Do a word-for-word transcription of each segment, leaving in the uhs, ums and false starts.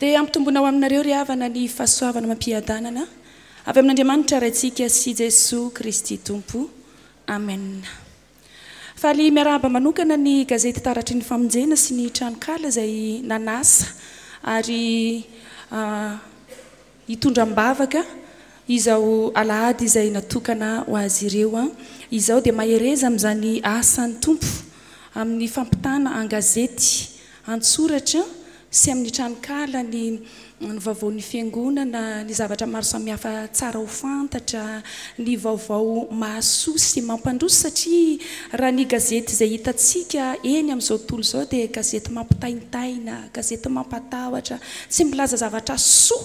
Dia ampitombona ho aminareo ry havana ny fahasoavana amam-piadanana avy amin'Andriamanitra Raintsika sy Jesoa Kristy Tompo. Amen. Faly miarahaba manokana ny gazety Taratry ny Famonjena sy ny tranonkala izay nanasa ary hitondra am-bavaka izao alahady izay natokana ho azy ireo izao. Dia mahereza amin'izany asan'ny Tompo amin'ny fampitana an-gazety, an-tsoratra sy amin'ny tranonkala ny ny vaovaon'ny fiangonana, ny zavatra maro samihafa tsara ho fantatra, ny vaovao mahasoa sy mampandroso, satria raha ny gazety izay hitantsika eny amin'izao tontolo izao dia gazety mampitaintaina, gazety mampatahotra, tsy milaza zavatra soa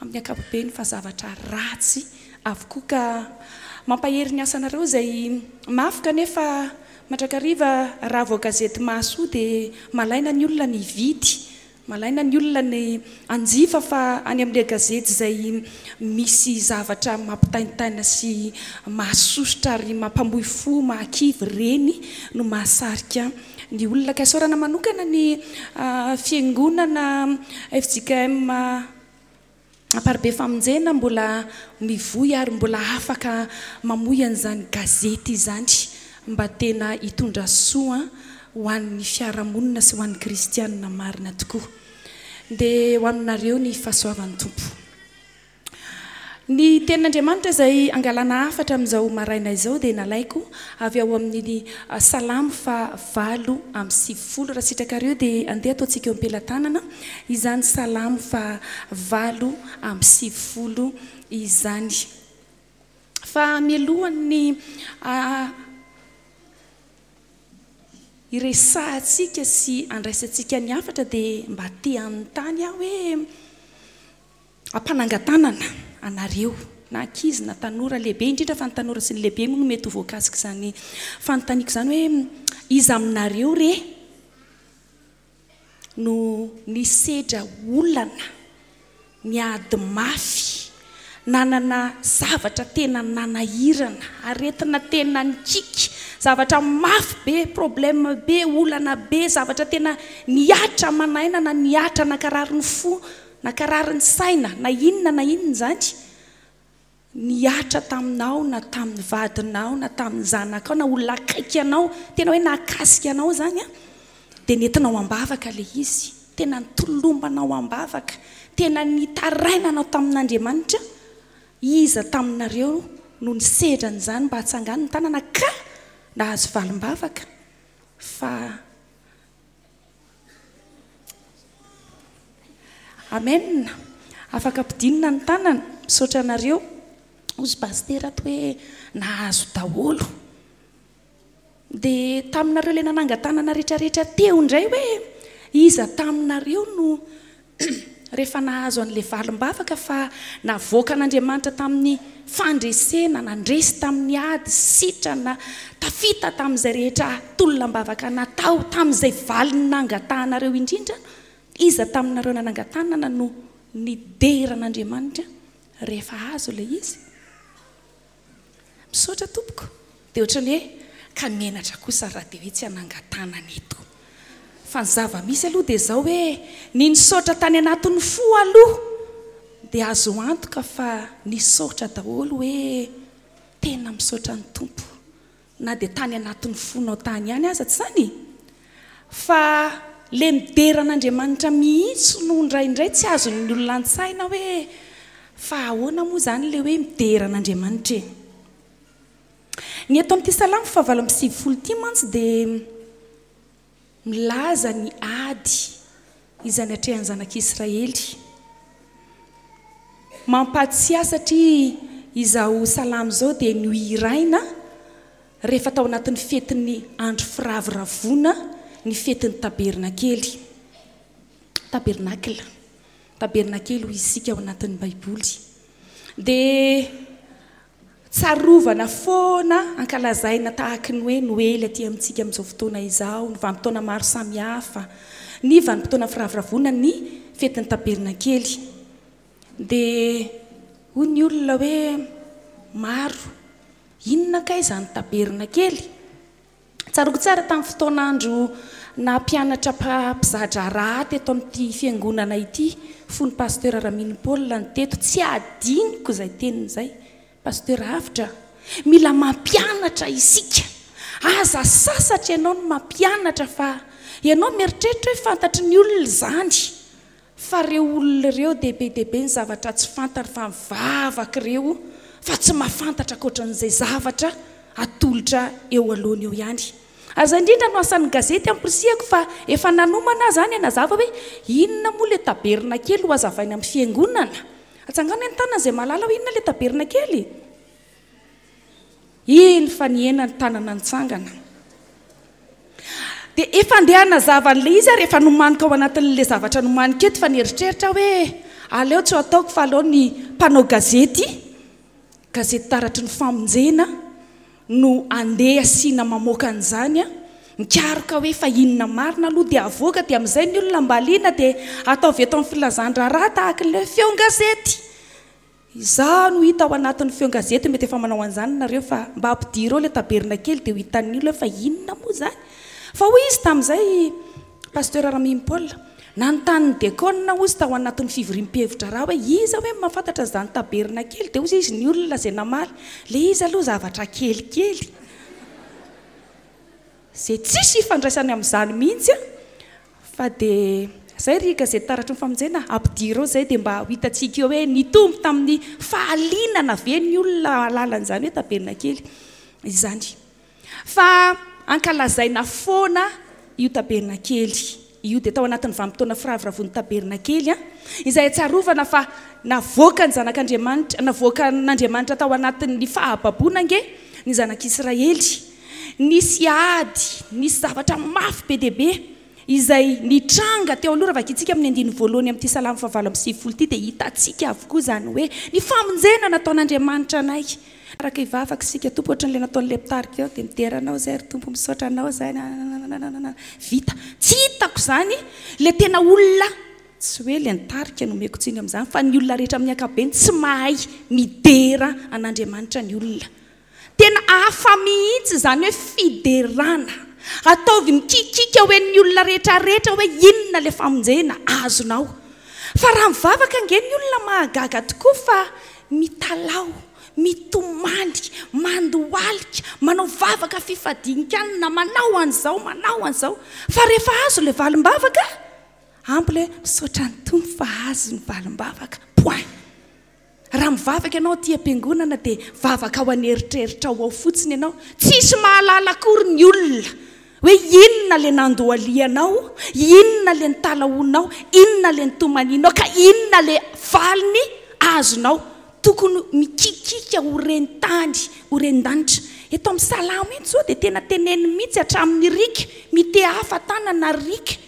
amin'ny ankapobeny fa zavatra ratsy avokoa. Ka mampahery ny asanareo izay mafy, kanefa mandrakariva raha vao gazety mahasoa dia malaina ny olona ny hividy, malaina ny olona ny hanjifa, fa any amin'ilay gazety izay misy zavatra mampitaintaina sy mahasosotra ary mampamoy fo, mahakivy, ireny no mahasarika ny olona. Ka isaorana manokana ny fiangonana F J K M Amparibe Famonjena mbola mivoy ary mbola afaka mamoy an'izany gazety izany mba tena hitondra soa ho an'ny fiarahamonina sy ho an'ny kristianina marina tokoa. Dia ho aminareo ny fahasoavan'ny Tompo. Ny tenin'Andriamanitra izay angalana hafatra amin'izao maraina izao dia nalaiko avy ao amin'ny Salamo faha valo amby sivifolo. Raha sitrakareo dia andeha ataontsika eo am-pelatanana izany Salamo faha valo amby sivifolo izany. Fa mialohan'ny iresahantsika sy andraisantsika ny hafatra dia mba te hanontany aho hoe ampanangan-tanana anareo na ankizy na tanora lehibe, indrindra fa ny tanora sy ny lehibe moa no mety ho voakasika izany fanontaniako izany, hoe iza aminareo re no nisedra olana, niady mafy, nanana zavatra tena nanahirana, aretina tena nikiky, zavatra mafy be, problème be, olana be, zavatra tena nihatra manaina na nihatra nankarary ny fo, nankarary ny saina, na inona na inona izany, nihatra taminao na tamin'ny vadinao na tamin'ny zanakao na olona akaiky anao, tena hoe nahakasika anao izany, dia nentinao am-bavaka ilay izy, tena nitolombanao am-bavaka, tena nitarainanao tamin'Andriamanitra. Iza taminareo no nisedra an'izany mba hatsangano ny tanana ka nahazo valim-bavaka? Fa amen, afaka ampidinina ny tanana, misaotra anareo. Ozy pasitera ato hoe nahazo daholo. Dia taminareo ilay nanangan-tanana rehetrarehetra teo indray hoe iza taminareo no rehefa nahazo an'ilay valim-bavaka fa navoakan'Andriamanitra tamin'ny fandresena, nandresy tamin'ny ady, sitrana, tafita tamin'izay rehetra tolom-bavaka natao, tamin'izay valiny nangatahanareo indrindra, iza taminareo nanangan-tanana no nidera an'Andriamanitra rehefa azo ilay izy? Misaotra tompoko. Dia ohatran'ny hoe ka menatra kosa raha dia hoe tsy hanangan-tanana eto. Fa ny zava-misy aloha dia izao hoe ny nisaotra tany anatin'ny fo aloha dia azo antoka fa nisaotra daholo hoe tena misaotra ny Tompo na dia tany anatin'ny fonao tany ihany aza, tsy izany? Fa le midera an'Andriamanitra mihitsy no indraindray tsy azon'ny olona an-tsaina hoe fa ahoana moa izany le hoe midera an'Andriamanitra e? Ny eto amin'ity Salamo fahavalo amby sivifolo ity mantsy dia milaza ny ady izay natrehan'ny zanak'Israely. Mampatsiahy satria izao salamo izao dia nohiraina rehefa tao anatin'ny fetin'ny andro firavoravoana, ny fetin'ny tabernakely. Tabernakla. Tabernakely hoy isika ao anatin'ny Baiboly. Dia tsarovana foana ankalazaina tahaky ny hoe Noely aty amintsika amin'izao fotoana izao, ny vanim-potoana maro samihafa, ny vanim-potoana firavoravoana, ny fetin'ny tabernakely. Dia hoy ny olona hoe maro, inona kay izany tabernakely? Tsaroako tsara tamin'ny fotoan'andro Nampianatra mpizadraharaha teto amin'ity fiangonana ity fony Pasteur Ramino Paul ny teto. Tsy adiniko izay teniny izay. Pasteur Avotra, mila mampianatra isika. Aza sasatra ianao no mampianatra fa ianao mieritreritra hoe fantatry ny olona izany. Fa ireo olona ireo dia be dia be ny zavatra tsy fantany fa mivavaka ireo fa tsy mahafantatra ankoatran'izay zavatra atolotra eo alohany eo ihany. Ary izay indrindra no asan'ny gazety ampirisihako fa efa nanomana aho izany hanazava hoe inona moa ilay tabernakely ho hazavaina amin'ny fiangonana. Atsangano ny tanana izay mahalala hoe inona ilay tabernakely. Iny fa nihena ny tanana nitsangana. Dia efa andeha hanazava an'ilay izy ary efa nomaniko ao anatin'ilay zavatra nomaniko eto fa nieritreritra hoe aleo tsy ho ataoko fa aleo ny mpanao gazety, gazety taratry ny famonjena no andeha asiana mamoaka an'izany, mikaroka hoe fa inona marina aloha dia avoaka, dia amin'izay ny olona mba liana dia ataovy eto amin'ny filazan-draharaha tahaka ilay feon-gazety. Izaho no hita ao anatin'ny feon-gazety, mety efa manao an'izany nareo fa mba ampidiro eo ilay tabernakely dia ho hitan'ny olona fa inona moa izany. Fa hoy izy tamin'izay, Pasteur Ramino Paul, nanontany ny diakona hozy tao anatin'ny fivoriam-pihevi-draharaha hoe iza hoe no mahafantatra an'izany tabernakely, dia hozy izy ny olona izay namaly, ilay izy aloha zavatra kelikely izay tsisy ifandraisany amin'izany mihitsy an, fa dia izay ry gazety taratry ny famonjena, ampidiro eo izay dia mba ho hitantsika eo hoe nitombo tamin'ny fahalinana ve ny olona alalan'izany hoe tabernakely izany. Fa ankalazaina foana io tabernakely io, dia tao anatin'ny vanim-potoana firavoravoan'ny tabernakely, izay ahatsiarovana fa navoaka ny zanak'Andriamanitra, navoakan'Andriamanitra tao anatin'ny fahababoana ange ny zanak'Israely. Nisy ady, nisy zavatra mafy be dia be izay nitranga teo aloha. Raha vakintsika amin'ny andininy voalohany amin'ity salamo fahavalo amby sivifolo ity dia hitantsika avokoa izany hoe ny famonjena nataon'Andriamanitra anay. Araka hivavaka isika, Tompo, ohatran'ilay nataon'ilay mpitarika eo, dia midera anao izay ry Tompo, misaotra anao izay, nanananananana, vita. Tsy hitako izany ilay tena olona, tsy hoe ilay nitarika no omeko tsiny amin'izany, fa ny olona rehetra amin'ny ankapobeny tsy mahay midera an'Andriamanitra ny olona. Tena hafa mihitsy izany hoe fiderana. Ataovy mikikiaka ho an'ny olona rehetra rehetra hoe inona ilay famonjena azonao. Fa raha mivavaka ange ny olona mahagaga tokoa fa mitalaho, mitomany, mandohalika, manao vavaka fifadian-kanina, manao an'izao, manao an'izao. Fa rehefa azo ilay valim-bavaka, ampy ilay hoe misaotra ny Tompo fa azo ny valim-bavaka. Point. Raha mivavaka ianao aty am-piangonana dia vavaka ao an'eritreritrao ao fotsiny ianao. Tsisy mahalala akory ny olona hoe inona ilay nandohalianao, inona ilay nitalahoanao, inona ilay nitomanianao, ka inona ilay valiny azonao. Tokony mikikika ho ren-tany, ho ren-danitra. Eto amin'ny salamo ito izao dia tena teneniny mihitsy hatramin'ny riaka mitehafa tanana riaka.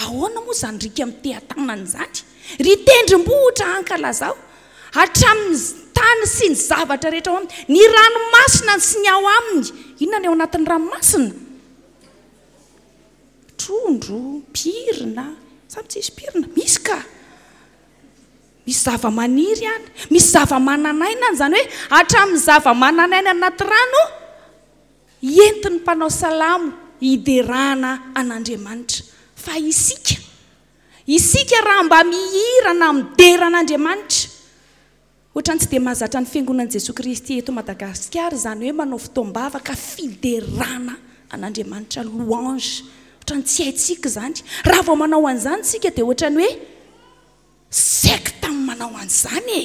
Ahoana moa izany riaka miteha-tanana izany? Ry tendrombohitra ankalazao, hatramin'ny tany sy ny zavatra rehetra ao aminy, ny ranomasina sy ny ao aminy. Inona ny ao anatin'ny ranomasina? Trondro, pirina, samy tsisy pirina, misy ka. Misy zava-maniry any, misy zava-manan'aina any, izany hoe hatramin'ny zava-manan'aina anaty rano entin'ny mpanao salamo hiderana an'Andriamanitra. Fa isika, isika raha mba mihira na midera an'Andriamanitra, ohatran'ny tsy dia mahazatra ny Fiangonan'i Jesoa Kristy eto Madagasikara izany hoe manao fotoam-bavaka fiderana an'Andriamanitra, louange, ohatran'ny tsy haintsika izany. Raha vao manao an'izany isika dia ohatran'ny hoe sekta ny manao an'izany e!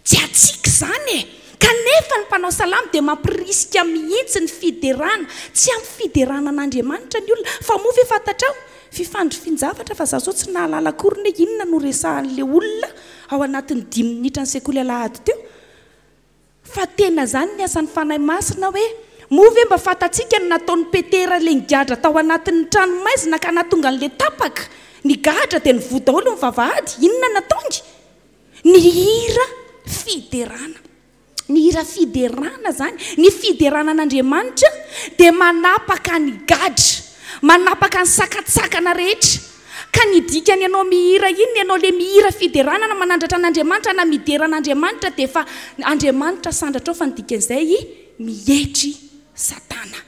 Tsy hatsiaka izany e! Kanefa ny mpanao salamo dia mampirisika mihitsy ny fiderana. Tsy ampy fiderana an'Andriamanitra ny olona. Fa moa ve fantatrao? Fifandrifin-javatra fa za zao tsy nahalala akory ny hoe inona no resahan'ilay olona ao anatin'ny dimy minitra ny sekoly alahady teo. Fa tena izany ny asan'ny Fanahy Masina hoe, moa ve mba fantatsika ny nataon'i Petera ilay nigadra tao anatin'ny tranomaizina ka nahatonga an'ilay tapaka? Nigadra dia nivoha daholo ny vavahady. Inona nataony? Nihira fiderana. Nihira fiderana izany. Ny fiderana an'Andriamanitra dia manapaka ny gadra, manapaka ny sakantsakana rehetra. Ka ny dikany ianao mihira inona, ianao le mihira fiderana na manandratra an'Andriamanitra na midera an'Andriamanitra dia efa Andriamanitra sandratrao fa ny dikan'izay mietry Satana.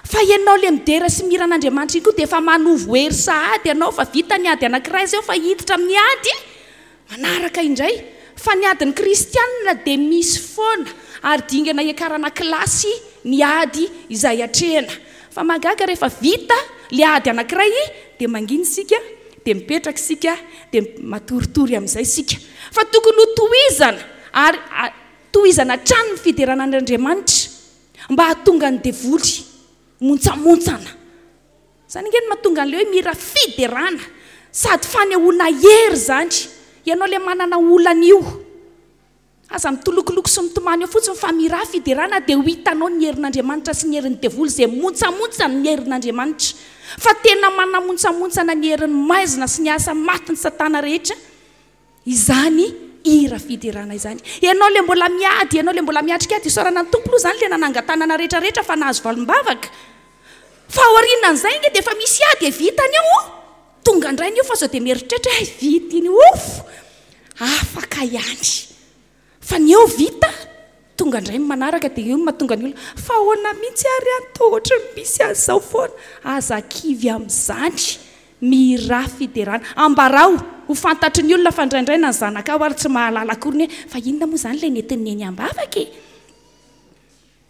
Fa ianao le midera sy mihira an'Andriamanitra iny koa dia efa manovo hery sahady ianao fa vita ny ady anankiray izay fa hiditra amin'ny ady manaraka indray. Fa ny adin'ny kristianina dia misy foana ary dingana hiakarana kilasy ny ady izay atrehina. Fa mahagaga rehefa vita le ady anankiray dia mangina isika, dia mipetraka isika, dia matoritory amin'izay isika. Fa tokony ho tohizana ary tohizana hatrany ny fiderana an'Andriamanitra mba hahatonga ny devoly montsamontsana. Izany ange no mahatonga an'ilay hoe mihira fiderana sady fanehoana hery izany. Ianao ilay manana olana io, aza mitolokoloko sy mitomany eo fotsiny fa mihira fiderana dia ho hitanao ny herin'Andriamanitra sy ny herin'ny devoly izay montsamontsana ny herin'Andriamanitra. Fa tena manamontsamontsana ny herin'ny maizina sy ny asa matin'ny satana rehetra izany hira fiderana izany. Ianao ilay mbola miady, ianao ilay mbola miatrika ady, isaorana ny Tompo aloha izany ilay nanangan-tanana rehetrarehetra fa nahazo valim-bavaka. Fa aorianan'izay ange dia efa misy ady e, vitany eo, tonga indray ny io fa sao dia mieritreritra hoe vita iny, ouf, afaka ihany. Fa ny eo vita, tonga indray ny manaraka dia io no mahatonga ny olona fa ahoana mihitsy ary any toa ohatry ny misy an'izao foana. Aza kivy amin'izany, mihira fiderana. Ambarao ho fantatry ny olona fa indraindray na ny zanakao ary tsy mahalala akory ny hoe fa inona moa izany ilay nentin'ny neny am-bavaka e?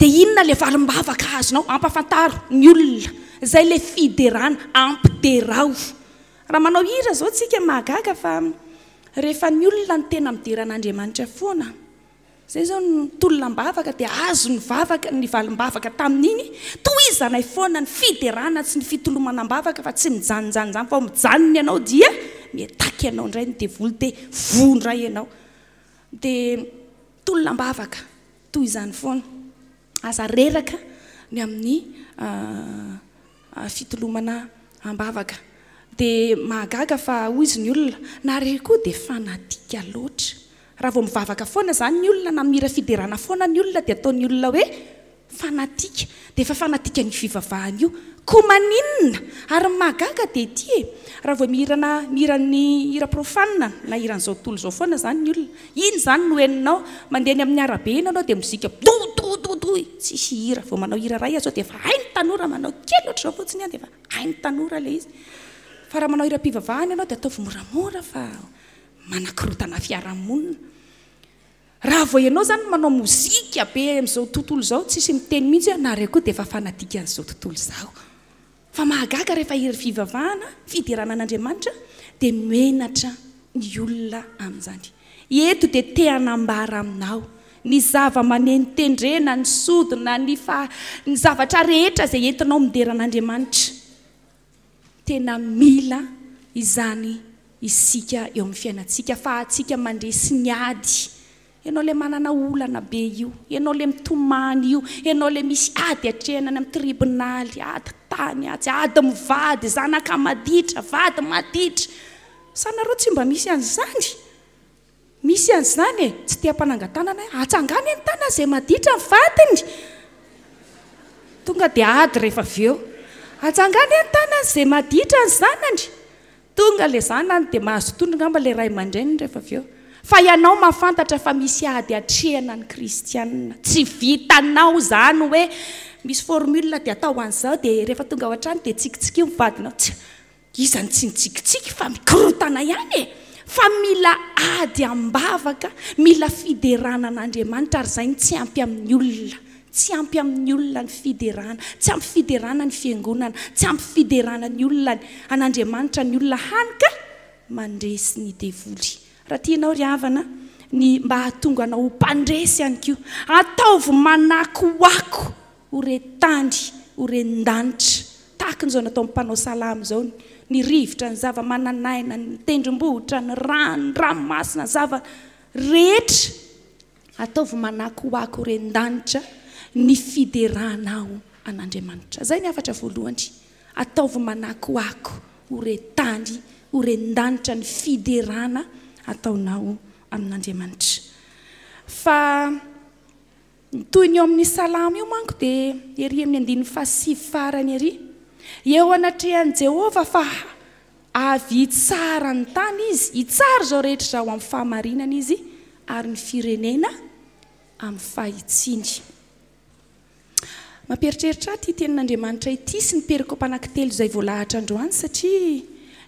Dia inona ilay valim-bavaka azonao? Ampafantaro ny olona. Izay ilay fiderana, ampiderao. Raha manao hira izao tsika mahagaga fa rehefa ny olona no tena midera an'Andriamanitra foana, izay izao ny tolona am-bavaka dia azo ny vavaka, ny valim-bavaka tamin'iny, tohizanay foana ny fiderana sy ny fitolomana am-bavaka fa tsy mijanonjanona izany fa mijanona ianao dia miataky ianao indray ny devoly dia voa indray ianao. Dia tolona am-bavaka toy izany foana. Aza reraka ny amin'ny fitolomana am-bavaka. Dia mahagaga fa hoy izy ny olona, nareo koa dia fanatika loatra. Raha vao mivavaka foana izany ny olona na mihira fiderana foana ny olona dia ataon'ny olona hoe fanatika. Dia efa fanatika ny fivavahana io. Koa maninona? Ary ny mahagaga dia ity e, raha vao mihirana, mihira ny hira profane na hiran'izao tontolo izao foana izany ny olona, iny izany no henonao, mandeha eny amin'ny arabe eny ianao dia mozika do do do do, tsisy hira. Vao manao hira iray aza dia efa hain'ny tanora manao kely ohatr'izao fotsiny ihany dia efa hain'ny tanora ilay izy. Fa raha manao hiram-pivavahana ianao dia ataovy moramora fa manakorotana fiarahamonina. Raha vao ianao izany manao mozika be amin'izao tontolo izao, tsisy miteny mihitsy hoe nareo koa dia efa fanatika an'izao tontolo izao. Fa mahagaga rehefa hira fivavahana, fiderana an'Andriamanitra, dia menatra ny olona amin'izany. Eto dia te hanambara aminao ny zava-maneno tendrena, ny sodina, ny fa-, ny zavatra rehetra izay entinao midera an'Andriamanitra. Tena mila izany isika eo amin'ny fiainantsika fa antsika mandresy ny ady. Ianao ilay manana olana be io, ianao ilay mitomany io, ianao ilay misy ady atrehina any amin'ny tribonaly, ady tany, ady, ady mivady, zanaka maditra, vady maditra. Sa nareo tsy mba misy an'izany? Misy an'izany e, tsy te hampanangan-tanana hoe atsangany ny tanana izay maditra ny vadiny. Tonga dia ady rehefa avy eo. Atsangany ny tanana izay maditra ny zanany. Tonga ilay zanany dia mahazo tondro angamba ilay ray aman-dreniny rehefa avy eo. Fa ianao mahafantatra fa misy ady atrehina ny kristianina. Tsy vitanao izany hoe misy formule dia atao an'izao dia rehefa tonga ao an-trano dia tsikitsiky ny vadinao. Tsy, iza no tsy nitsikitsiky fa mikorotana ihany e. Fa mila ady am-bavaka, mila fiderana an'Andriamanitra ary izay no tsy ampy amin'ny olona. Tsy ampy amin'ny olona ny fiderana, tsy ampy fiderana ny fiangonana, tsy ampy fiderana ny olona an'Andriamanitra ny olona hany ka mandresy ny devoly. Raha tianao ry havana ny mba hahatonga anao ho mpandresy ihany koa, ataovy manakoako ho re tany, ho ren-danitra, tahaka izao nataon'ny mpanao salamo izao, ny rivotra, ny zava-mananaina, ny tendrombohitra, ny rano, ny ranomasina, ny zava rehetra, ataovy manakoako ho ren-danitra ny fideranao an'Andriamanitra. Izay ny hafatra voalohany, ataovy manakoako ho re tany, ho ren-danitra ny fiderana ataonao amin'Andriamanitra. Fa ny toy ny eo amin'ny salamo io manko dia ery amin'ny andininy fahasivy farany ery. Eo anatrehan'i Jehovah fa avy hitsara ny tany izy, hitsara izao rehetra izao amin'ny fahamarinana izy ary ny firenena amin'ny fahitsiny. Mampieritreritra ahy ity tenin'Andriamanitra ity sy ny perikopa anankitelo izay voalahatra androany, satria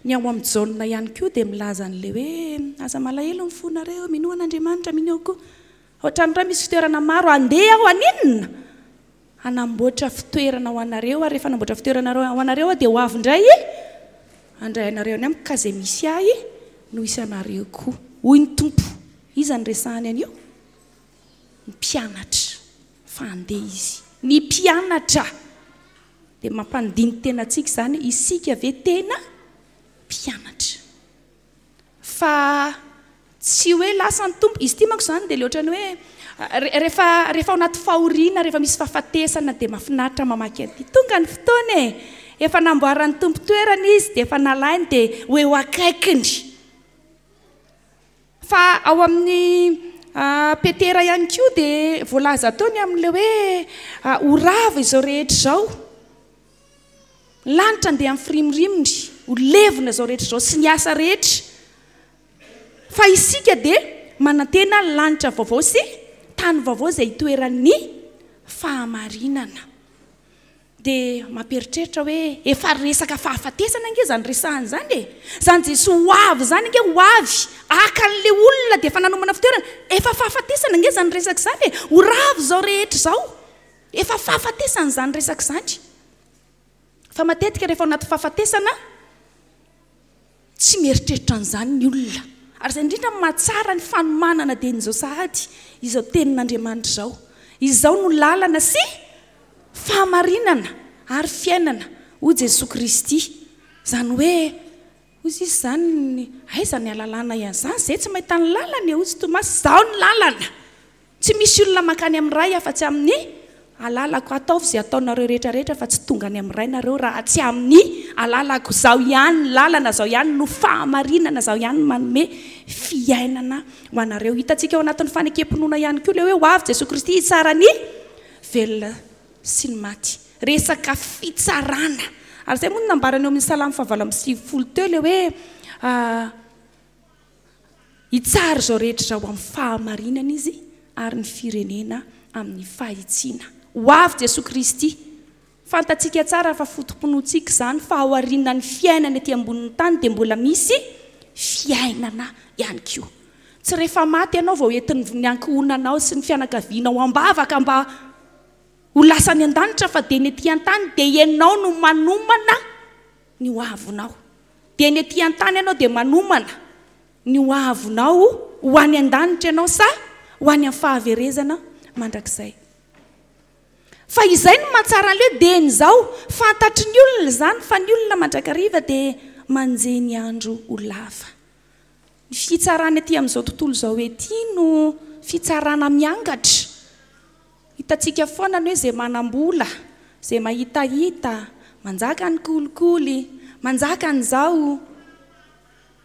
ny ao amin'ny Jaona ihany koa dia milaza an'ilay hoe aza malahelo ny fonareo, minoa an'Andriamanitra, minoa koa. Ao an-trano iray misy fitoerana maro, andeha aho haninona? Hanamboatra fitoerana ho anareo, ary rehefa hanamboatra fitoerana ho anareo aho dia ho avy indray handray anareo any amiko, ka izay misy ahy no hisy anareo koa, hoy ny Tompo. Iza no resahany an'io? Ny mpianatra. Fa handeha izy. Ny mpianatra. Dia mampandini-tena antsika izany, isika ve tena mpianatra? Fa tsy hoe lasa ny Tompo. Izy ity manko izany dia le ohatran'ny hoe rehefa, rehefa ao anaty fahoriana, rehefa misy fahafatesana dia mahafinaritra mamaky an'ity. Tonga ny fotoana e! Efa namboaran'ny Tompo toerana izy, dia efa nalainy, dia ho eo akaikiny. Fa ao amin'ny Petera ihany koa dia voalaza teo ny amin'ilay hoe ho rava izao rehetra izao. Ny lanitra andeha amin'ny firimorimon'ny, ho levona izao rehetra izao sy ny asa rehetra. Fa isika dia manantena lanitra vaovao sy tany vaovao izay hitoeran'ny fahamarinana. Dia mampieritreritra hoe efa resaka fahafatesana ange izany resahana izany e. Izany Jesoa ho avy izany ange, ho avy haka an'ilay olona dia efa nanomana fitoerana. Efa fahafatesana ange izany resaka izany e. Ho rava izao rehetra izao. Efa fahafatesana izany resaka izany. Fa matetika rehefa ao anaty fahafatesana, tsy mieritreritra an'izany ny olona. Ary izay indrindra no mahatsara ny fanomanana dieny izao sahady, izao tenin'Andriamanitra izao. Izao no lalana sy fahamarinana ary fiainana, hoy Jesoa Kristy. Izany hoe, hoy izy izany, aiza ny ahalalana an'izany? Izay tsy mahita ny lalana e, hoy izy Tomasy, izaho ny lalana. Tsy misy olona mankany amin'ny Ray afa-tsy amin'ny alalako. Ataovy izay ataonareo rehetra rehetra fa tsy tonga any amin'ny Ray nareo raha tsy amin'ny alalako. Izaho ihany ny lalana, izaho ihany no fahamarinana, izaho ihany no manome fiainana ho anareo. Hitantsika ao anatin'ny fanekem-pinoana ihany koa ilay hoe ho avy Jesoa Kristy hitsara ny velona sy ny maty. Resaka fitsarana. Ary izay moa no nambarany eo amin'ny Salamo fahavalo amby sivifolo teo ilay hoe hitsara izao rehetra izao amin'ny fahamarinana izy ary ny firenena amin'ny fahitsiana. Ho avy Jesoa Kristy. Fantatsika tsara fa foto-pinoantsika izany, fa ao aorian'ny fiainana ety ambonin'ny tany dia mbola misy fiainana ihany koa. Tsy rehefa maty ianao vao entin'ny ankohonanao sy ny fianakavianao am-bavaka mba ho lasa any an-danitra, fa dia ny ety an-tany dia ianao no manomana ny ho avinao. Dia ny ety an-tany ianao dia manomana ny ho avinao, ho any an-danitra ianao sa ho any amin'ny fahaverezana mandrakizay. Fa izay no mahatsara an'ilay hoe dia izao, fantatry ny olona izany, fa ny olona mandrakariva dia manjehy ny andro ho lava. Ny fitsarana ety amin'izao tontolo izao ety no fitsarana miangatra. Hitantsika foana ny hoe izay manam-bola, izay mahitahita, manjaka ny kolikoly, manjaka an'izao.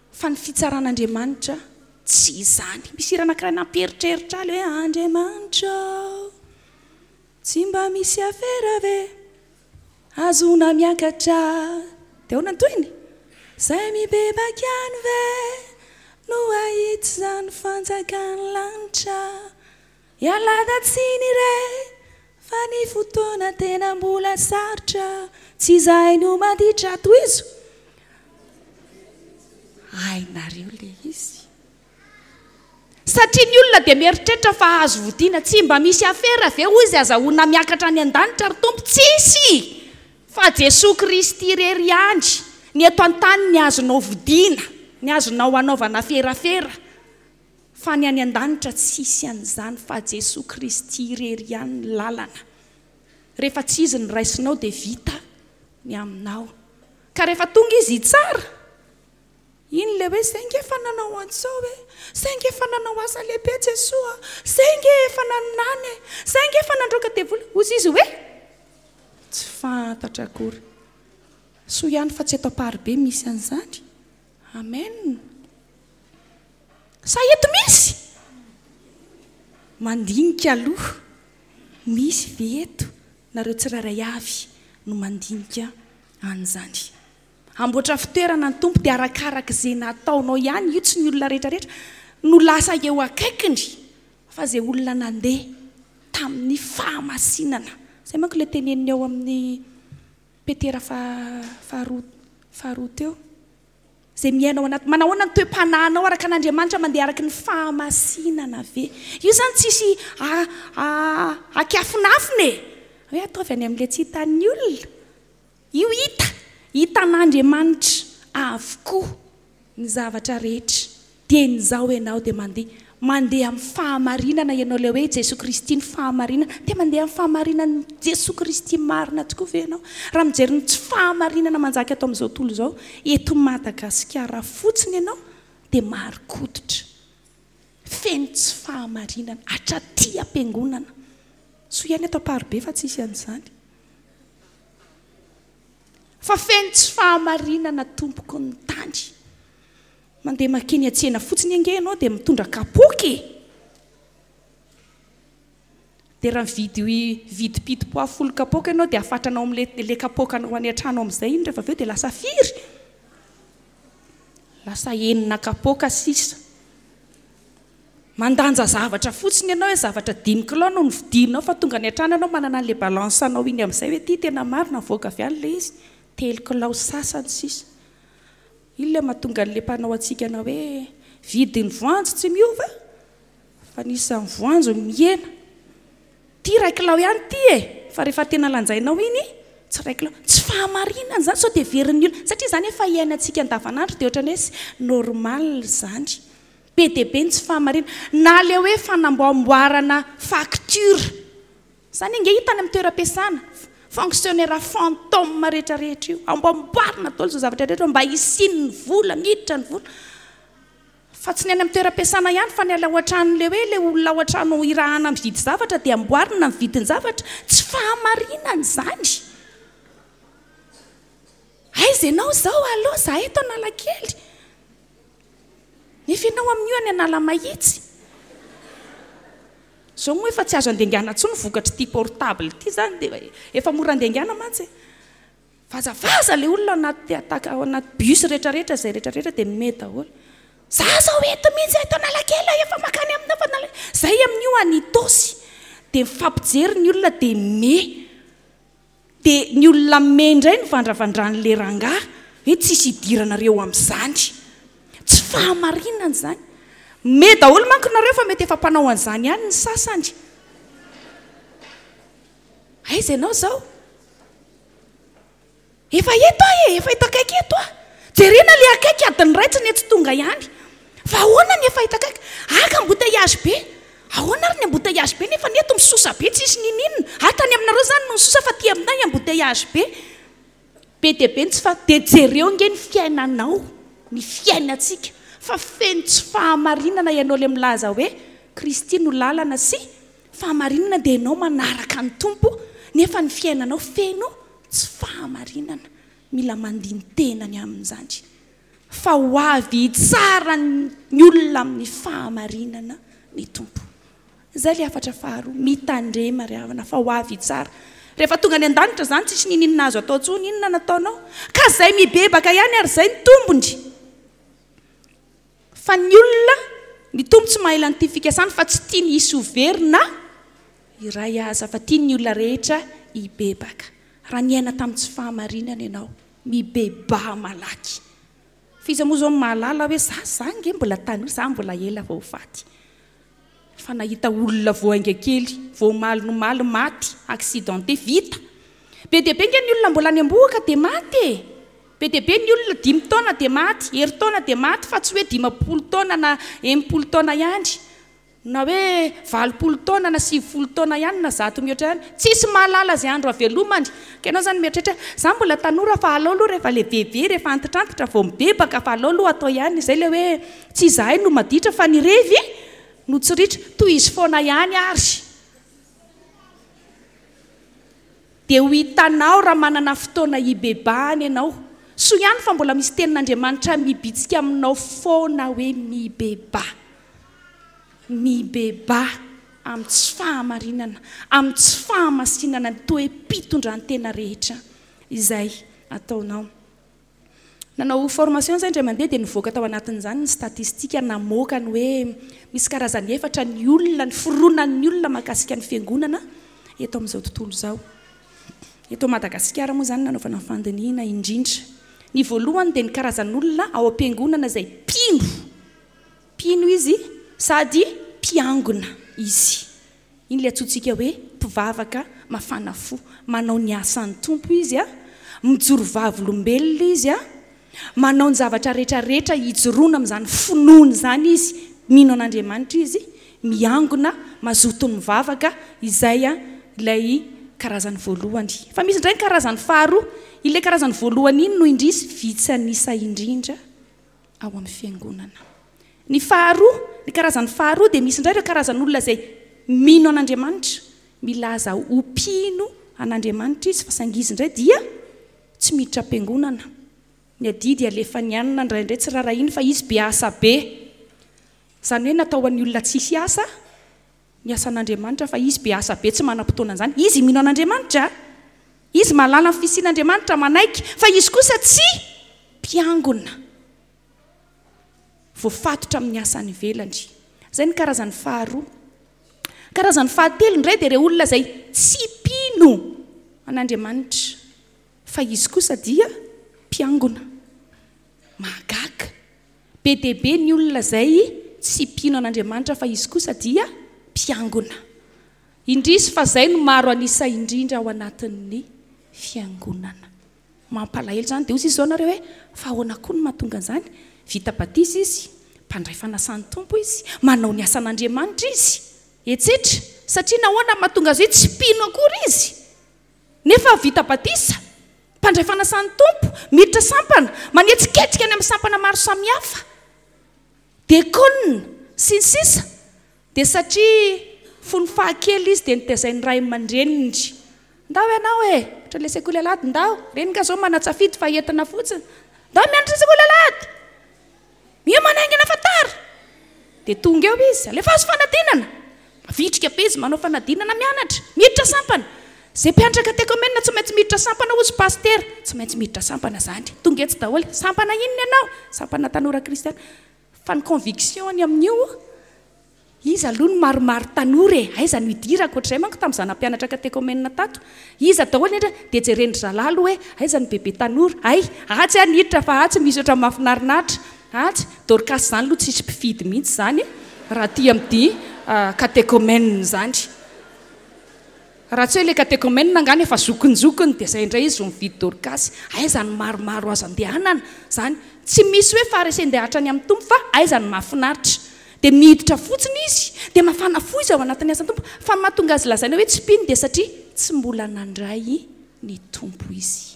Fa ny fitsaran'Andriamanitra tsy izany. Misy hira anankiray nampieritreritra ahy ilay hoe Andriamanitra, tsy mba misy afera ve? Azona miakatra. Dia ahoana ny tohiny? Izay mibebaka ihany ve no hahita izany fanjakan'ny lanitra? Ialana tsiny re, fa ny fotoana tena mbola sarotra, tsy izahay no maditra. Tohizo. Hainareo ilay izy. Satria ny olona dia mieritreritra fa azo vodiana. Tsy mba misy afera ve hoy izy azahoana miakatra any an-danitra ry Tompo? Tsisy! Fa Jesoa Kristy irery ihany ny eto an-tany ny azonao vodiana, ny azonao anaovana aferafera. Fa ny any an-danitra tsisy an'izany, fa Jesoa Kristy irery ihany ny lalana. Rehefa tsy izy ny raisinao dia vita ny aminao. Ka rehefa tonga izy hitsara, iny ilay hoe zay nge efa nanao an'izao e, zay nge efa nanao asa lehibe Jesoa, zay nge efa naminany e, zay nge efa nandroaka devoly. Hoy izy hoe tsy fantatra akory. Soa ihany fa tsy eto Amparibe misy an'izany. Amen. Sa eto misy? Mandinika aloha. Misy ve eto? Nareo tsirairay avy no mandinika an'izany. Hamboatra fitoerana ny Tompo dia arakaraka izay nataonao ihany, io tsy ny olona rehetrarehetra no lasa eo akaikiny, fa izay olona nandeha tamin'ny fahamasinana, Izay manko ilay teneniny ao amin'ny Petera faharoa faharoa teo. Izay miaina ao anaty, manahoana ny toe-panahinao araka an'Andriamanitra, mandeha araka ny fahamasinana ve? Io izany tsisy akiafinafina e! Hoe ataovy any amin'ilay tsy hitan'ny olona. Io hita, hitan'Andriamanitra avokoa ny zavatra rehetra. Dieny izao ianao dia mandeha, mandeha amin'ny fahamarinana ianao, ilay hoe Jesoa Kristy ny fahamarinana. Dia mandeha amin'ny fahamarinan'i Jesoa Kristy marina tokoa ve ianao? Raha mijery ny tsy fahamarinana manjaka eto amin'izao tontolo izao, eto Madagasikara fotsiny ianao dia marin-koditra. Feno tsy fahamarinana, hatraty am-piangonana. Soa ihany eto Amparibe fa tsisy an'izany. Fa feno tsy fahamarinana tompoko ny tany. Mandeha makeny an-tsena fotsiny ange ianao dia mitondra kapoaka e! Dia raha mividy vidim-pito-poa folo kapoaka ianao dia afatranao amin'ilay ilay kapoakanao any an-trano amin'izay iny rehefa avy eo dia lasa firy? Lasa enina kapoaka sisa. Mandanja zavatra fotsiny ianao hoe zavatra dimy kilao no novidianao fa tonga any an-trano ianao manana an'ilay balance anao iny amin'izay hoe ity tena marina mivoaka avy any ilay izy, telo kilao sasany sisa. Iny ilay mahatonga an'ilay mpanao hatsikana hoe vidin'ny voanjo tsy miova fa ny isan'ny voanjo mihena. Ity iray kilao ihany ity e! Fa rehefa tena lanjainao iny, tsy iray kilao. Tsy fahamarinana izany sao dia heverin'ny olona, satria izany efa iainantsika andavanandro dia ohatran'ny hoe normal izany. Be dia be ny tsy fahamarinana. Na ilay hoe fanamboamboarana facture. Izany ange hita any amin'ny toeram-piasana. Fonctionnaire fantôme rehetra rehetra io. Amboamboarina daholo izao zavatra rehetra mba hisian'ny vola, miditra ny vola. Fa tsy ny any amin'ny toeram-piasana ihany fa ny ao an-trano ilay hoe ilay olona ao an-trano irahana mividy zavatra dia amboarina ny vidin-javatra. Tsy fahamarinana izany. Aiza ianao izao? Allo, za eto Analakely. Nefa ianao amin'io any Analamahitsy. Izao moa efa tsy azo andengana intsony vokatr'ity portable ity izany dia efa mora andengana mantsy e. Vazavaza ilay olona ao anaty attaque ao anaty bus rehetrarehetra izay rehetrarehetra dia mimehy daholo. Za zao eto mihitsy eto Analakely efa makany aminao fa Analakely. Zay amin'io any Itaosy dia mifampijery ny olona dia mimehy. Dia ny olona mimehy indray no vandravandran'ilay rangahy hoe tsisy idiranareo amin'izany. Tsy fahamarinana izany. Mimehy daholo manko nareo fa mety efa mpanao an'izany ihany ny sasany. Aiza ianao izao? Efa eto aho e, efa eto akaiky eto aho. Jerena ilay akaiky adiny iray tsy nety tonga ihany. Fa ahoana ny efa eto akaiky? Aka embouteillage be. Ahoana ary ny embouteillage be nefa ny eto misosa be tsisy ninininona. Ah tany aminareo izany no nisosa fa aty aminay embouteillage be. Be dia be ny tsy faha, dia jereo ange ny fiainanao, ny fiainantsika fa feno tsy fahamarinana ianao ilay milaza hoe Kristy no lalana sy fahamarinana dia ianao manaraka ny Tompo nefa ny fiainanao feno tsy fahamarinana. Mila mandini-tena ny amin'izany fa ho avy hitsara ny olona amin'ny fahamarinana ny Tompo. Izay ilay hafatra faharoa, mitandrema ry havana fa ho avy hitsara. Rehefa tonga any an-danitra izany tsisy ninininona azo atao intsony, inona nataonao? Ka izay mibebaka ihany ary izay ny tombony. Fa ny olona, ny Tompo tsy mahaila an'ity fikasany fa tsy tiany hisy ho very na iray aza fa tiany ny olona rehetra hibebaka. Raha niaina tamin'ny tsy fahamarinana ianao, mibebaha malaky. Fa iza moa izao no mahalala hoe za, za ange mbola tanora, za mbola ela vao ho faty. Fa nahita olona vao hainga kely, vao omaly no omaly maty, accidenté, vita. Be dia be nge ny olona mbola any am-bohoka dia maty e! Be dia be ny olona dimy taona dia maty, herintaona dia maty fa tsy hoe dimampolo taona na enimpolo taona ihany, na hoe valopolo taona na sivifolo taona ihany na zato mihoatra ihany. Tsisy mahalala izay andro havelomany. Ka ianao izany mieritreritra hoe za mbola tanora fa aleo aloha rehefa lehibebe, rehefa antitrantitra vao mibebaka fa aleo aloha atao ihany. Izay ilay hoe tsy izahay no maditra fa ny revy no tsy ritra. Tohizo foana ihany ary. Dia ho hitanao raha manana fotoana hibebahana ianao. Soa ihany fa mbola misy tenin'Andriamanitra mibitsika aminao foana hoe mibebaha. Mibebaha amin'ny tsy fahamarinana, amin'ny tsy fahamasinana, ny toe-pitondran-tena rehetra izay ataonao. Nanao formation izay indray mandeha dia nivoaka tao anatin'izany ny statistika namoaka ny hoe misy karazany efatra ny olona, ny fironan'ny olona mahakasika ny fiangonana eto amin'izao tontolo izao. Eto Madagasikara moa izany nanaovana fandinihina indrindra. Ny voalohany dia ny karazan'olona ao am-piangonana izay mpino. Mpino izy sady mpiangona izy. Iny ilay antsointsika hoe mpivavaka mafana fo. Manao ny asan'ny Tompo izy, mijoro vavolombelona izy, manao ny zavatra rehetrarehetra hijoroana amin'izany finoana izany izy. Mino an'Andriamanitra izy, miangona, mazoto mivavaka, izay ilay karazany voalohany. Fa misy indray ny karazany faharoa. Ilay karazany voalohany iny no indrisy vitsy an'isa indrindra ao amin'ny fiangonana. Ny faharoa, ny karazany faharoa dia misy indray ireo karazan'olona izay mino an'Andriamanitra, milaza ho mpino an'Andriamanitra izy, fa saingy izy indray dia tsy miditra am-piangonana. Ny adidy alefany anina indraindray tsy rarahiny fa izy be asa be. Izany hoe natao ho an'ny olona tsisy asa ny asan'Andriamanitra, fa izy be asa be, tsy manam-potoana an'izany. Izy mino an'Andriamanitra, izy mahalala ny fisian'Andriamanitra, manaiky, fa izy kosa tsy mpiangona, voafatotra amin'ny asany ivelany. Izay ny karazany faharoa. Karazany fahatelo indray dia ireo olona izay tsy mpino an'Andriamanitra, fa izy kosa dia mpiangona. Mahagaga. Be dia be ny olona izay tsy mpino an'Andriamanitra, fa izy kosa dia mpiangona. Indrisy fa izay no maro an'isa indrindra ao anatin'ny fiangonana. Mampalahelo izany. Dia hoy izy izao nareo hoe, fa ahoana koa no mahatonga an'izany? Vita batisa izy, mpandray fanasan'ny Tompo izy, manao ny asan'Andriamanitra izy, etsetra. Satria nahoana no mahatonga azy hoe tsy mpino akory izy? Nefa vita batisa, mpandray fanasan'ny Tompo, miditra sampana, manetsiketsika any amin'ny sampana maro samihafa, diakona sy ny sisa. Dia satria fony fahakely izy dia nitezain'ny ray aman-dreniny. Ndao ianao e, ohatra ilay sekoly alahady, ndao. Reny nga zao manatsafidy fa entina fotsiny. Ndao mianatra sekoly alahady. Miomana haingana fa tara. Dia tonga eo izy, alefaso fanadinana. Mavitrika be izy manao fanadinana mianatra, miditra sampana. Izay mpianatra katekomena tsy maintsy miditra sampana hozy pasitera. Tsy maintsy miditra sampana izany. Tonga etsy daholo. Sampana inona ianao? Sampana tanora kristiana. Fa ny conviction-ny amin'io, iza aloha no maromaro tanora e? Aiza no idirako? Ohatr'izay manko tamin'izaho nampianatra katekomena tato. Iza daholo ny dia jeren-dry zalahy aloha hoe aiza no bebe tanora? Ay, atsy aho niditra fa atsy misy ohatran'ny mahafinaritra. Atsy, Dorcas izany aloha tsisy mpifidy mihitsy izany raha aty amin'ity katekomena izany. Raha tsy hoe ilay katekomena angano efa zokinjokiny dia izay indray izy vao mividy Dorcas. Aiza no maromaro azo andehanana izany? Tsy misy hoe faharesen-dahatra ny amin'ny Tompo fa aiza no mahafinaritra. Dia miditra fotsiny izy, dia mafana fo izy ao anatin'ny asan'ny Tompo. Fa ny mahatonga azy lazaina hoe tsy mpino dia satria tsy mbola nandray ny Tompo izy.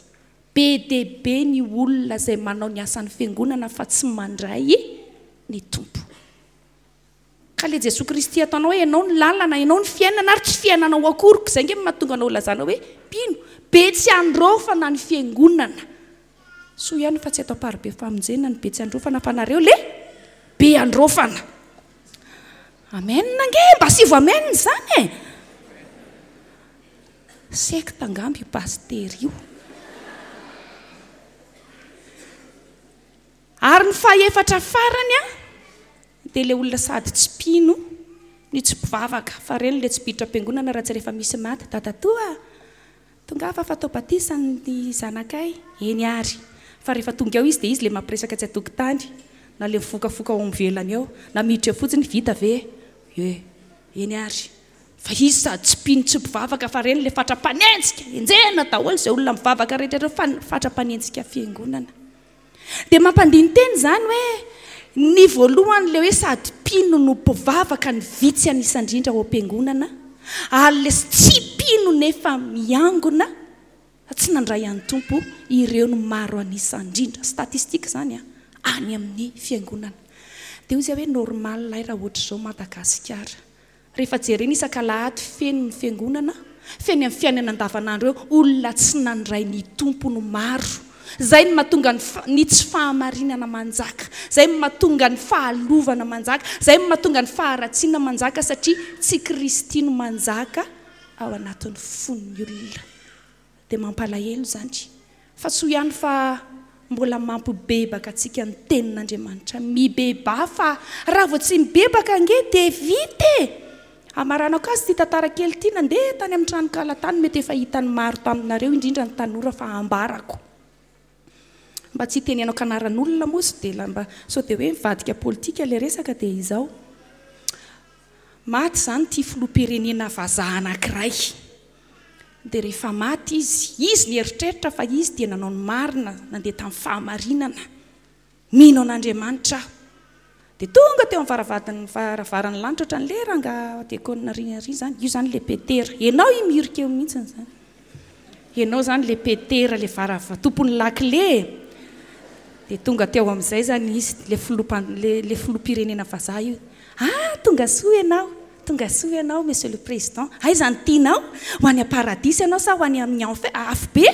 Be dia be ny olona izay manao ny asan'ny fiangonana fa tsy mandray ny Tompo. Ka ilay Jesoa Kristy ataonao hoe ianao ny lalana, ianao ny fiainana ary tsy fiainanao akory. Izay ange no mahatonga anao lazana hoe mpino. Be tsy androfana ny fiangonana. Soa ihany fa tsy atao Amparibe famonjena ny be tsy androfana fa nareo le be androfana. Amen ange, mba asivo amen izany e. Sekta angamba io pasitera io. Ary ny fahefatra farany a, dia ilay olona sady tsy mpino no tsy mpivavaka. Fa ireny ilay tsy mpiditra am-piangonana raha tsy rehefa misy maty. Dadatoa, tongava fa atao batisa ny zanakay. Eny ary. Fa rehefa tonga eo izy dia izy ilay mampiresaka tsy an-tokotany, na ilay mifokafoka ao ivelany eo, na miditra eo fotsiny, vita ve? Ie. Eny ary. Fa izy sady tsy mpino tsy mpivavaka fa ireny ilay fatra-panenjika. Enjehina daholo izay olona mivavaka rehetra ireo fa fatra-panenjika fiangonana. Dia mampandini-tena izany hoe ny voalohany ilay hoe sady mpino no mpivavaka ny vitsy an'isa indrindra ao am-piangonana, ary ilay tsy mpino nefa miangona tsy nandray an'ny Tompo, ireo no maro an'isa indrindra. Statistique izany any amin'ny fiangonana. Dia hoy izy hoe normal ahy raha ohatr'izao Madagasikara. Rehefa jerena isak'alahady feno ny fiangonana, feno amin'ny fiainana andavanandro eo, olona tsy nandray ny Tompo no maro. Izay no mahatonga ny tsy fahamarinana manjaka, izay no mahatonga ny fahalovana manjaka, izay no mahatonga ny faharatsiana manjaka, satria tsy Kristy no manjaka ao anatin'ny fon'ny olona. Dia mampalahelo izany. Fa soa ihany fa mbola mampibebaka antsika ny tenin'Andriamanitra. Mibebaha fa raha vao tsy mibebaka ange dia vita e! Amaranako azy ity tantara kely ity, nandeha tany amin'ny tranonkala tany, mety efa hitan'ny maro taminareo, indrindra ny tanora, fa ambarako. Mba tsy hitenenako anaran'olona moa, sy dia mba sao dia hoe mivadika politika ilay resaka, dia izao. Maty izany ity filoham-pirenena vazaha anankiray. Dia rehefa maty izy, izy nieritreritra fa izy dia nanao ny marina, nandeha tamin'ny fahamarinana. Mino an'Andriamanitra aho. Dia tonga teo amin'ny varavadin'ny varavaran'ny lanitra ohatran'ilay rangahy diakona ry ry izany. Io izany ilay Petera. Ianao io miorika eo mihitsy izany. Ianao izany ilay Petera, ilay varava tompon'ny lakile. Dia tonga teo amin'izay izany izy, ilay filoham-pan-, ilay, ilay filoham-pirenena vazaha io. Ah, tonga soa ianao, tonga soa ianao, monsieur le président. Aiza no tianao? Ho any am-paradisa ianao sa ho any amin'ny enfer, afobe?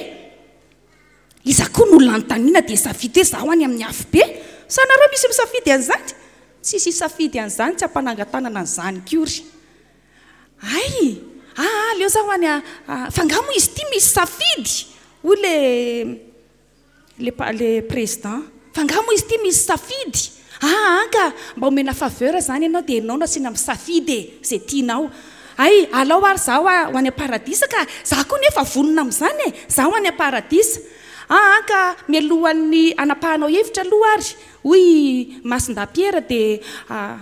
Iza koa no olona anontaniana dia safidy hoe izaho any amin'ny afobe? Sa nareo misy misafidy an'izany? Tsisy hisafidy an'izany, tsy hampanangan-tanana an'izany kory. Ay, ah, aleo zaho any a, a, fa angaha moa izy ity misy safidy? Hoy le, le pa-, le président. Fa angaha moa izy ity misy safidy? Ah, ka mba omena faveur izany ianao dia ianao no asiana misafidy e, izay tianao. Ay, alao ary zaho ho any am-paradisa ka, zaho koa nefa vonona amin'izany e, zaho any am-paradisa. Ah, ka mialohan'ny hanapahanao hevitra aloha ary, hoy Masindahy Pierre, dia, ah,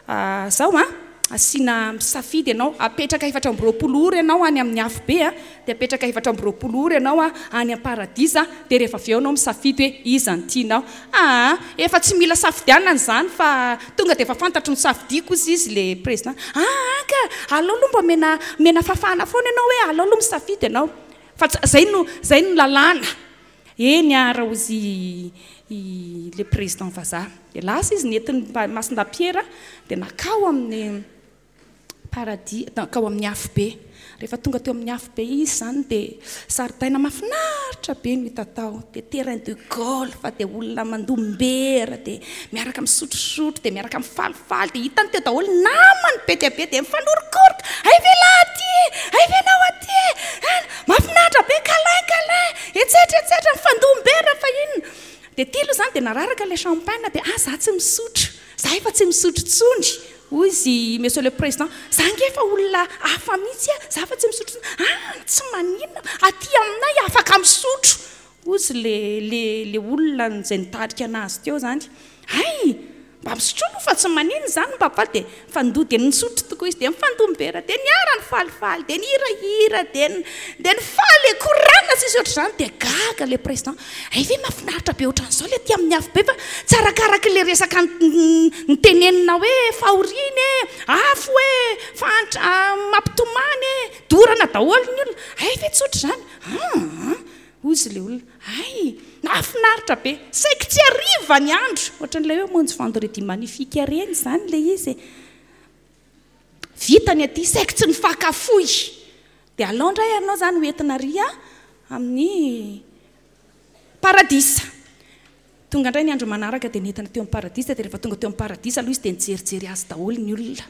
ah, zao an, asiana misafidy ianao, apetraka efatra amby roapolo ora ianao any amin'ny afobe, a, dia apetraka efatra amby roapolo ora ianao a, any am-paradisa, dia rehefa avy eo ianao misafidy hoe iza no tianao. Ah, efa tsy mila safidianana izany fa tonga dia efa fantatro ny safidiko, hoy izy le président. Ah, ka aleo aloha mba omena, omena fahafahana foana ianao hoe aleo aloha misafidy ianao. Fa tsy, zay no, zay no lalàna. Eny ara, hoy izy i, le président vazaha. Dia lasa izy nentin'ny Masindahy Pierre, dia nakao amin'ny paradis, nakao amin'ny afobe. Rehefa tonga teo amin'ny afobe izy izany dia zaridaina mahafinaritra be no hita tao. Dia terrain de golf, dia olona mandombera, dia miaraka misotrosotro, dia miaraka mifalifaly, dia hitany teo daholo namany be dia be, dia mifanorokoroka. Ay ve lahy aty e? Ay ve anao aty e? Ah, mahafinaritra be, câlin, câlin, etsetra, etsetra, mifandombera fa inona. Dia ty aloha izany dia nararaka ilay champagne, dia ah, za tsy misotro, za efa tsy misotro intsony. Hoy izy, monsieur le président, za ange efa olona hafa mihitsy a, za efa tsy misotro intsony. Ah, tsy maninona, aty aminay afaka misotro. Hoy izy le, le, le olona izay nitarika anazy teo izany. Ay, mba misotro aloha fa tsy maninona izany, mba faly. Dia nifandoa, dia nisotro tokoa izy, dia nifandombera, dia niara nifalifaly, dia nihirahira, dia n-, dia nifaly, korana tsisy ohatr'izany. Dia gaga le président. Ay ve mahafinaritra be ohatran'izao le aty amin'ny afobe, fa tsy arakaraky le resaka n-, n-, nitenenina hoe fahoriana e, afo e, fahantra, mampitomany e, dorana daholo ny olona. Ay ve tsy ohatr'izany? Ah, hoy izy le olona. Ay, nahafinaritra be, saiky tsy hariva ny andro. Ohatran'ilay hoe mamonjy vendredi magnifique ireny izany le izy e. Vita ny aty, saiky tsy nifakafoy. Dia alao indray ianao izany ho entina ary amin'ny paradisa. Tonga indray ny andro manaraka dia nentina teo amin'ny paradisa. Dia rehefa tonga teo amin'ny paradisa aloha izy dia nijerijery azy daholo ny olona.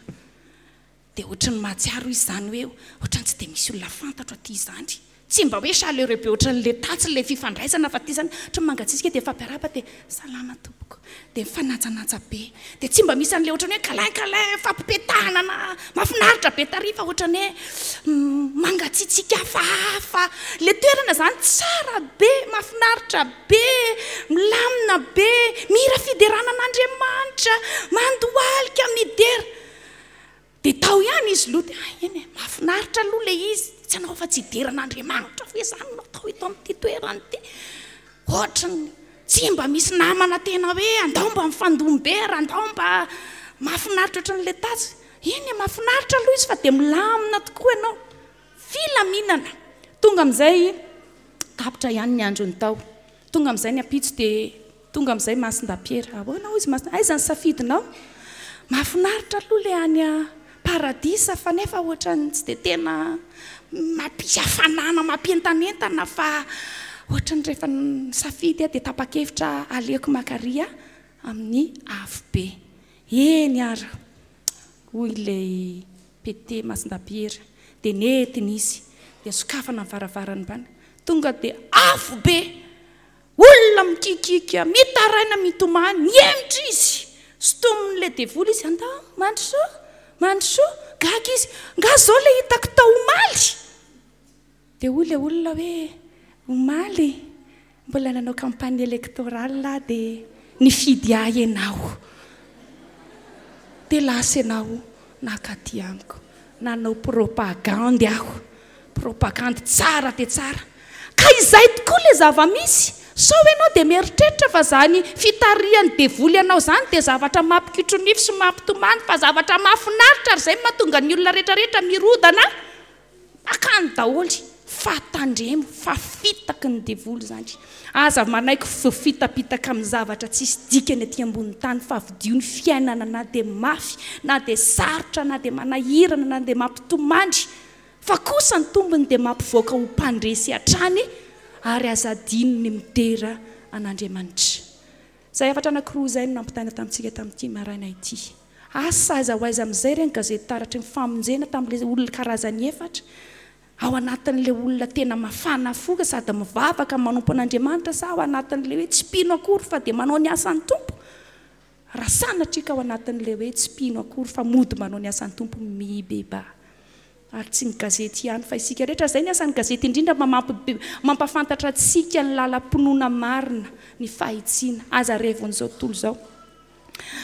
Dia ohatran'ny mahatsiaro izy izany hoe ohatran'ny tsy dia misy olona fantatro aty izany. Tsy mba hoe chaleureux be ohatran'ilay tatsy ilay fifandraisana fa aty izany ohatran'ny mangatsiatsiaka, dia mifampiarahaba, dia salama tompoko, dia mifanajananja be, dia tsy mba misy an'ilay ohatran'ny hoe câlin câlin fampipetahana na mahafinaritra be tary fa ohatran'ny hoe mangatsiatsiaka hafahafa. Ilay toerana izany tsara be, mahafinaritra be, milamina be, mihira fiderana an'Andriamanitra, mandohalika, midera. Dia tao ihany izy aloha, dia, ah, eny e, mahafinaritra aloha ilay izy, tsy hanao afa-tsy hidera an'Andriamanitra fa izany no atao eto amin'ity toerana ity. Ohatran'ny tsy mba misy namana tena hoe andao mba mifandombera, andao mba mahafinaritra ohatran'ilay tatsy. Eny e, mahafinaritra aloha izy fa dia milamina tokoa ianao. Filaminana. Tonga amin'izay tapitra ihany ny androny tao. Tonga amin'izay ny ampitso dia tonga amin'izay Masindahy Pierre. Ahoana hoy izy Masindahy? Aiza ny safidinao? Mahafinaritra aloha ilay any paradisa fa nefa ohatran'ny tsy dia tena mampisy hafanana, mampientanentana fa ohatran'ny rehefa nisafidy aho dia tapa-kevitra aleoko makaria amin'ny afobe. Eny ary, hoy ilay P T Masindahy Pierre, dia nentina izy, dia sokafana ny varavaran'ny bana. Tonga dia afobe, olona mikikiaka, mitaraina, mitomany, mihemotra izy. Sintomin'ilay devoly izy, andao, mandrosoa, Mandrosoa. Gaga izy, nga zao le hitako tao omaly? Dia hoy ilay olona hoe, omaly mbola nanao campagne électorale aho dia nifidy ahy ianao. Dia lasa ianao nakaty amiko. Nanao propagandy aho. Propagandy tsara dia tsara. Ka izay tokoa ilay zava-misy. Sao ianao dia mieritreritra fa izany fitarihan'ny devoly anao izany dia zavatra mampikitro-nify sy mampitomany, fa zavatra mahafinaritra, ary izay no mahatonga ny olona rehetrarehetra mirodana akany daholo. Fa tandremo fa fitaky ny devoly izany. Aza manaiky voafitapitaka amin'ny zavatra tsisy dikany aty ambonin'ny tany, fa vidio ny fiainana na dia mafy, na dia sarotra, na dia manahirana, na dia mampitomany. Fa kosa ny tombony dia mampivoaka ho mpandresy hatrany, ary aza adino ny midera an'Andriamanitra. Izay hafatra anankiroa izay no nampitaina tamintsika tamin'ity maraina ity. Asa aiza ho aiza amin'izay ireny gazety taratry ny famonjena tamin'ilay olona karazany efatra, ao anatin'ilay olona tena mafana fo sady mivavaka manompo an'Andriamanitra, sa ao anatin'ilay hoe tsy mpino akory fa dia manao ny asan'ny Tompo? Raha sanatria ka ao anatin'ilay hoe tsy mpino akory fa mody manao ny asan'ny Tompo, mibebaha. Ary tsy ny gazety ihany fa isika rehetra. Izay ny asan'ny gazety indrindra, mampahafantatra antsika ny lalam-pinoana marina, ny fahitsiana. Aza revon'izao tontolo izao.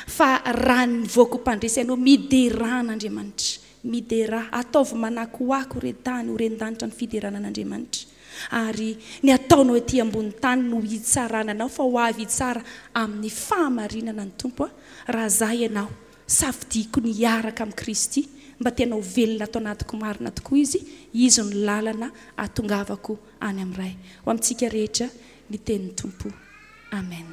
Fa raha nivoaka ho mpandresy ianao, miderà an'Andriamanitra. Miderà. Ataovy manakoako re tany, ho ren-danitra ny fiderana an'Andriamanitra. Ary ny ataonao ety ambony tany no hitsarana anao, fa ho avy hitsara amin'ny fahamarinana ny Tompo. Raha za ianao, safidiko ny hiaraka amin'i Kristy, mba tena ho velona ato anatiko marina tokoa Izy. Izy no lalana ahatongavako any amin'ny Ray. Ho amintsika rehetra ny tenin'ny Tompo. Amen.